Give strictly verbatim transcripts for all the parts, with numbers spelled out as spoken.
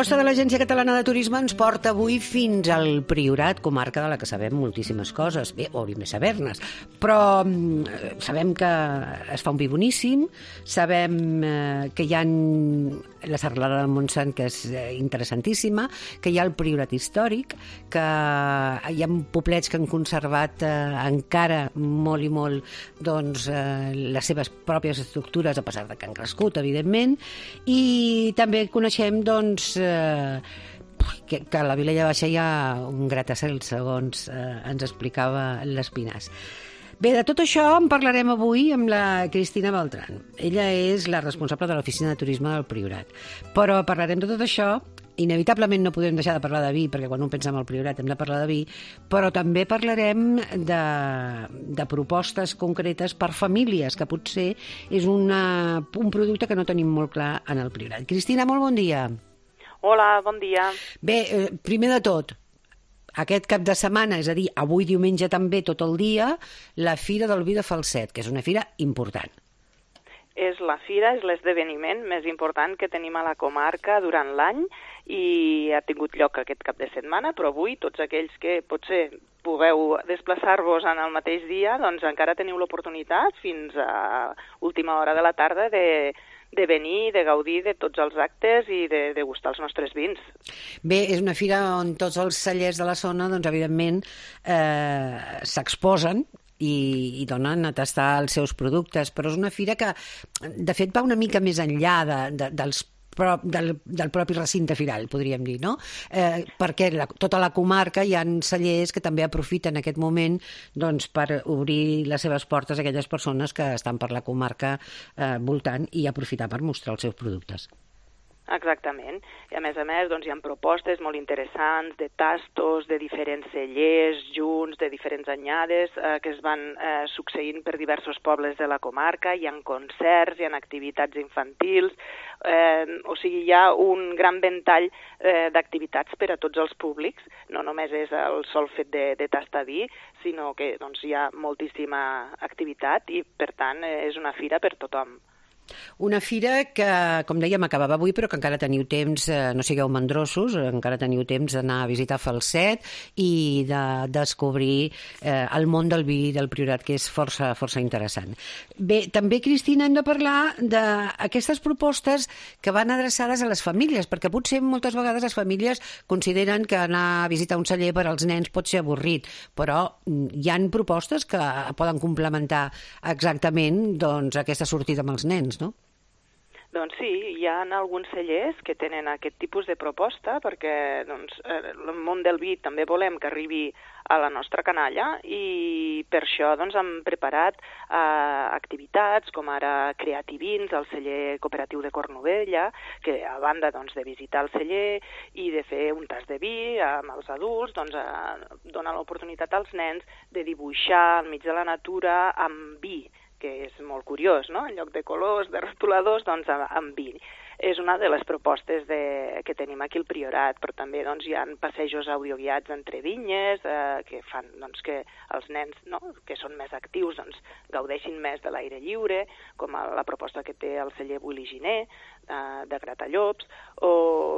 proposta de l'Agència Catalana de Turisme ens porta avui fins al Priorat, comarca de la que sabem moltíssimes coses. Bé, hauríem de saber-nes, però eh, sabem que es fa un vi boníssim, sabem eh, que hi ha la serralada del Montsant, que és eh, interessantíssima, que hi ha el Priorat històric, que hi ha poblets que han conservat eh, encara molt i molt doncs, eh, les seves pròpies estructures, a pesar de que han crescut, evidentment, i també coneixem doncs, Eh, que, que a la Vilella Baixa hi ha un gratacel, segons eh, ens explicava l'Espinàs. Bé, de tot això en parlarem avui amb la Cristina Beltrán. Ella és la responsable de l'Oficina de Turisme del Priorat. Però parlarem de tot això. Inevitablement no podem deixar de parlar de vi, perquè quan un pensa en el Priorat hem de parlar de vi, però també parlarem de, de propostes concretes per famílies, que potser és una, un producte que no tenim molt clar en el Priorat. Cristina, molt bon dia. Hola, bon dia. Bé, eh, primer de tot, aquest cap de setmana, és a dir, avui diumenge també tot el dia, la Fira del Vi de Falset, que és una fira important. És la fira, és l'esdeveniment més important que tenim a la comarca durant l'any i ha tingut lloc aquest cap de setmana, però avui tots aquells que potser pugueu desplaçar-vos en el mateix dia, doncs encara teniu l'oportunitat fins a última hora de la tarda de de venir, de gaudir de tots els actes i de degustar els nostres vins. Bé, és una fira on tots els cellers de la zona, doncs, evidentment, eh, s'exposen i, i donen a tastar els seus productes, però és una fira que, de fet, va una mica més enllà de, de, dels Però del, del propi recinte firal, podríem dir, no? Eh, perquè la, tota la comarca hi ha cellers que també aprofiten aquest moment doncs, per obrir les seves portes a aquelles persones que estan per la comarca eh, voltant i aprofitar per mostrar els seus productes. Exactament. I a més a més doncs, hi ha propostes molt interessants de tastos, de diferents cellers junts, de diferents anyades eh, que es van eh, succeint per diversos pobles de la comarca. Hi ha concerts, hi ha activitats infantils, eh, o sigui, hi ha un gran ventall eh, d'activitats per a tots els públics. No només és el sol fet de, de tastar vi, sinó que doncs, hi ha moltíssima activitat i, per tant, eh, és una fira per tothom. Una fira que, com dèiem, acabava avui, però que encara teniu temps, eh, no sigueu mandrosos, encara teniu temps d'anar a visitar Falset i de descobrir eh, el món del vi del Priorat, que és força, força interessant. Bé, també, Cristina, hem de parlar d'aquestes propostes que van adreçades a les famílies, perquè potser moltes vegades les famílies consideren que anar a visitar un celler per als nens pot ser avorrit, però hi han propostes que poden complementar exactament doncs, aquesta sortida amb els nens, no? Doncs sí, hi ha alguns cellers que tenen aquest tipus de proposta perquè doncs, el món del vi també volem que arribi a la nostra canalla i per això doncs, hem preparat eh, activitats com ara Creativins, el celler cooperatiu de Cornudella, que a banda doncs, de visitar el celler i de fer un tas de vi amb els adults, doncs, eh, dona l'oportunitat als nens de dibuixar al mig de la natura amb vi, que és molt curiós, no? En lloc de colors, de rotuladors, doncs amb vi. És una de les propostes de, que tenim aquí al Priorat, però també doncs, hi ha passejos audioguiats entre vinyes eh, que fan doncs, que els nens no? que són més actius doncs, gaudeixin més de l'aire lliure, com a la proposta que té el celler Buliginer, eh, de Gratallops, o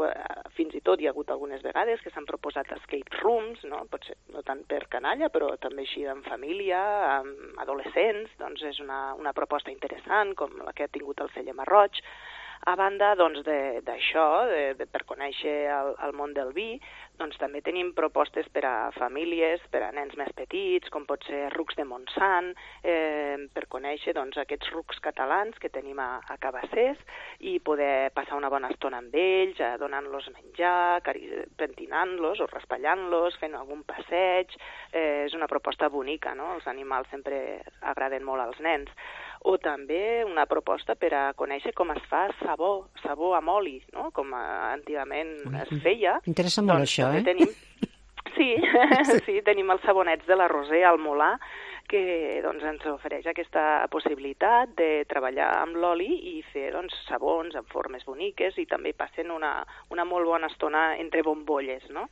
eh, fins i tot hi ha hagut algunes vegades que s'han proposat escape rooms, no? Potser no tant per canalla, però també així en família, amb adolescents, doncs és una, una proposta interessant, com la que ha tingut el celler Marroig. A banda doncs, d'això, de, de, per conèixer el, el món del vi, doncs, també tenim propostes per a famílies, per a nens més petits, com pot ser rucs de Montsant, eh, per conèixer doncs, aquests rucs catalans que tenim a, a Cabassers i poder passar una bona estona amb ells, eh, donant-los menjar, pentinant-los o raspallant-los, fent algun passeig. Eh, és una proposta bonica, no? Els animals sempre agraden molt als nens. O també una proposta per a conèixer com es fa sabó, sabó amb oli, no? Com antigament es feia. Interessa molt doncs, això, eh? Tenim... Sí, sí, tenim els sabonets de la Roser al Molar, que doncs, ens ofereix aquesta possibilitat de treballar amb l'oli i fer doncs, sabons en formes boniques i també passen una, una molt bona estona entre bombolles, no?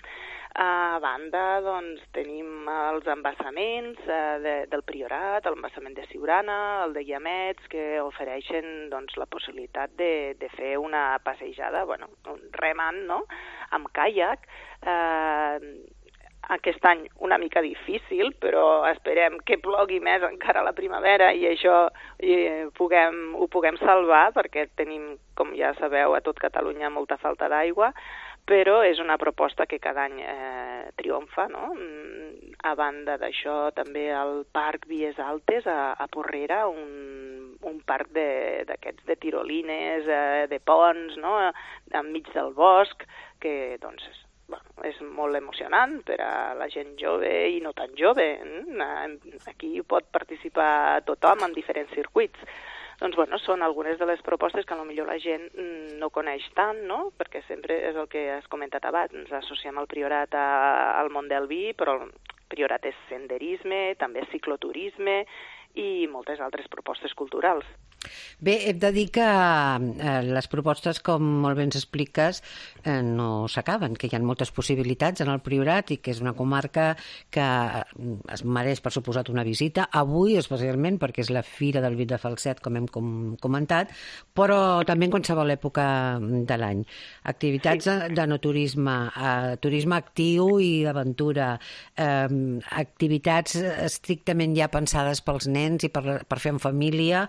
A banda, doncs, tenim els embassaments eh, de, del Priorat, l'embassament de Siurana, el de Llamets, que ofereixen doncs, la possibilitat de, de fer una passejada, bueno, un remant, no?, amb caiac. Eh, aquest any una mica difícil, però esperem que plogui més encara a la primavera i això i puguem, ho puguem salvar, perquè tenim, com ja sabeu, a tot Catalunya molta falta d'aigua, però és una proposta que cada any eh, triomfa, no? A banda d'això, també el Parc Vies Altes, a, a Porrera, un, un parc d'aquests de, de tirolines, eh, de ponts, no?, enmig del bosc, que doncs, bueno, és molt emocionant per a la gent jove i no tan jove. Aquí pot participar tothom en diferents circuits. Doncs, bueno, són algunes de les propostes que potser la gent no coneix tant, no?, perquè sempre és el que has comentat abans, ens associem al Priorat a, al món del vi, però el Priorat és senderisme, també cicloturisme i moltes altres propostes culturals. Bé, hem de dir que eh, les propostes, com molt bé ens expliques, eh, no s'acaben, que hi ha moltes possibilitats en el Priorat i que és una comarca que es mereix, per suposat, una visita. Avui, especialment, perquè és la Fira del Vi de Falset, com hem com comentat, però també en qualsevol època de l'any. Activitats sí. de, de no turisme, eh, turisme actiu i d'aventura, eh, activitats estrictament ja pensades pels nens i per, per fer en família,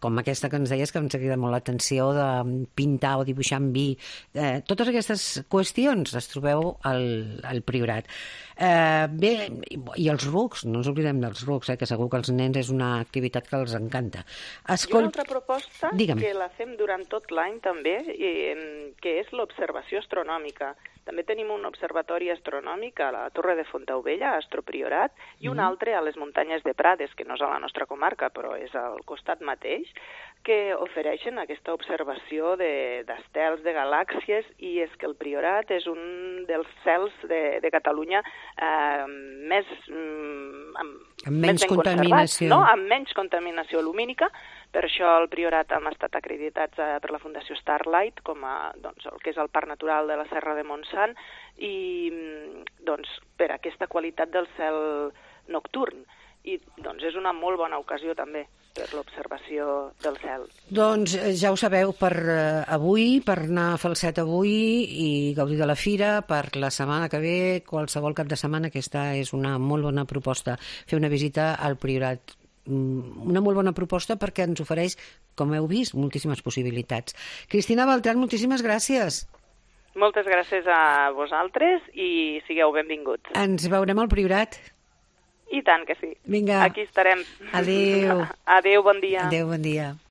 com aquesta que ens deies, que ens ha cridat molt l'atenció de pintar o dibuixar amb vi. Eh, totes aquestes qüestions les trobeu al, al Priorat. Eh, bé, i els rucs, no ens oblidem dels rucs, eh, que segur que els nens és una activitat que els encanta. Escolt... I una altra proposta Digue'm. que la fem durant tot l'any també, i, que és l'observació astronòmica. També tenim un observatori astronòmic a la Torre de Fontaubella, a Astropriorat, i un mm. altre a les muntanyes de Prades, que no és a la nostra comarca, però és al costat mateix, que ofereixen aquesta observació d'estels, de, de galàxies, i és que el Priorat és un dels cels de, de Catalunya eh, més, mm, amb, amb menys més ben contaminació, no? Amb menys contaminació lumínica. Per això al Priorat hem estat acreditats eh, per la Fundació Starlight, com a, doncs, el que és el Parc Natural de la Serra de Montsant, i doncs, per aquesta qualitat del cel nocturn. I doncs, és una molt bona ocasió també per l'observació del cel. Doncs ja ho sabeu, per uh, avui, per anar a Falset avui i gaudir de la fira, per la setmana que ve, qualsevol cap de setmana, aquesta és una molt bona proposta, fer una visita al Priorat. Una molt bona proposta perquè ens ofereix, com heu vist, moltíssimes possibilitats. Cristina Beltrán, moltíssimes gràcies. Moltes gràcies a vosaltres i sigueu benvinguts. Ens veurem al Priorat. I tant que sí. Vinga. Aquí estarem. Adéu. Adéu, bon dia. Adéu, bon dia.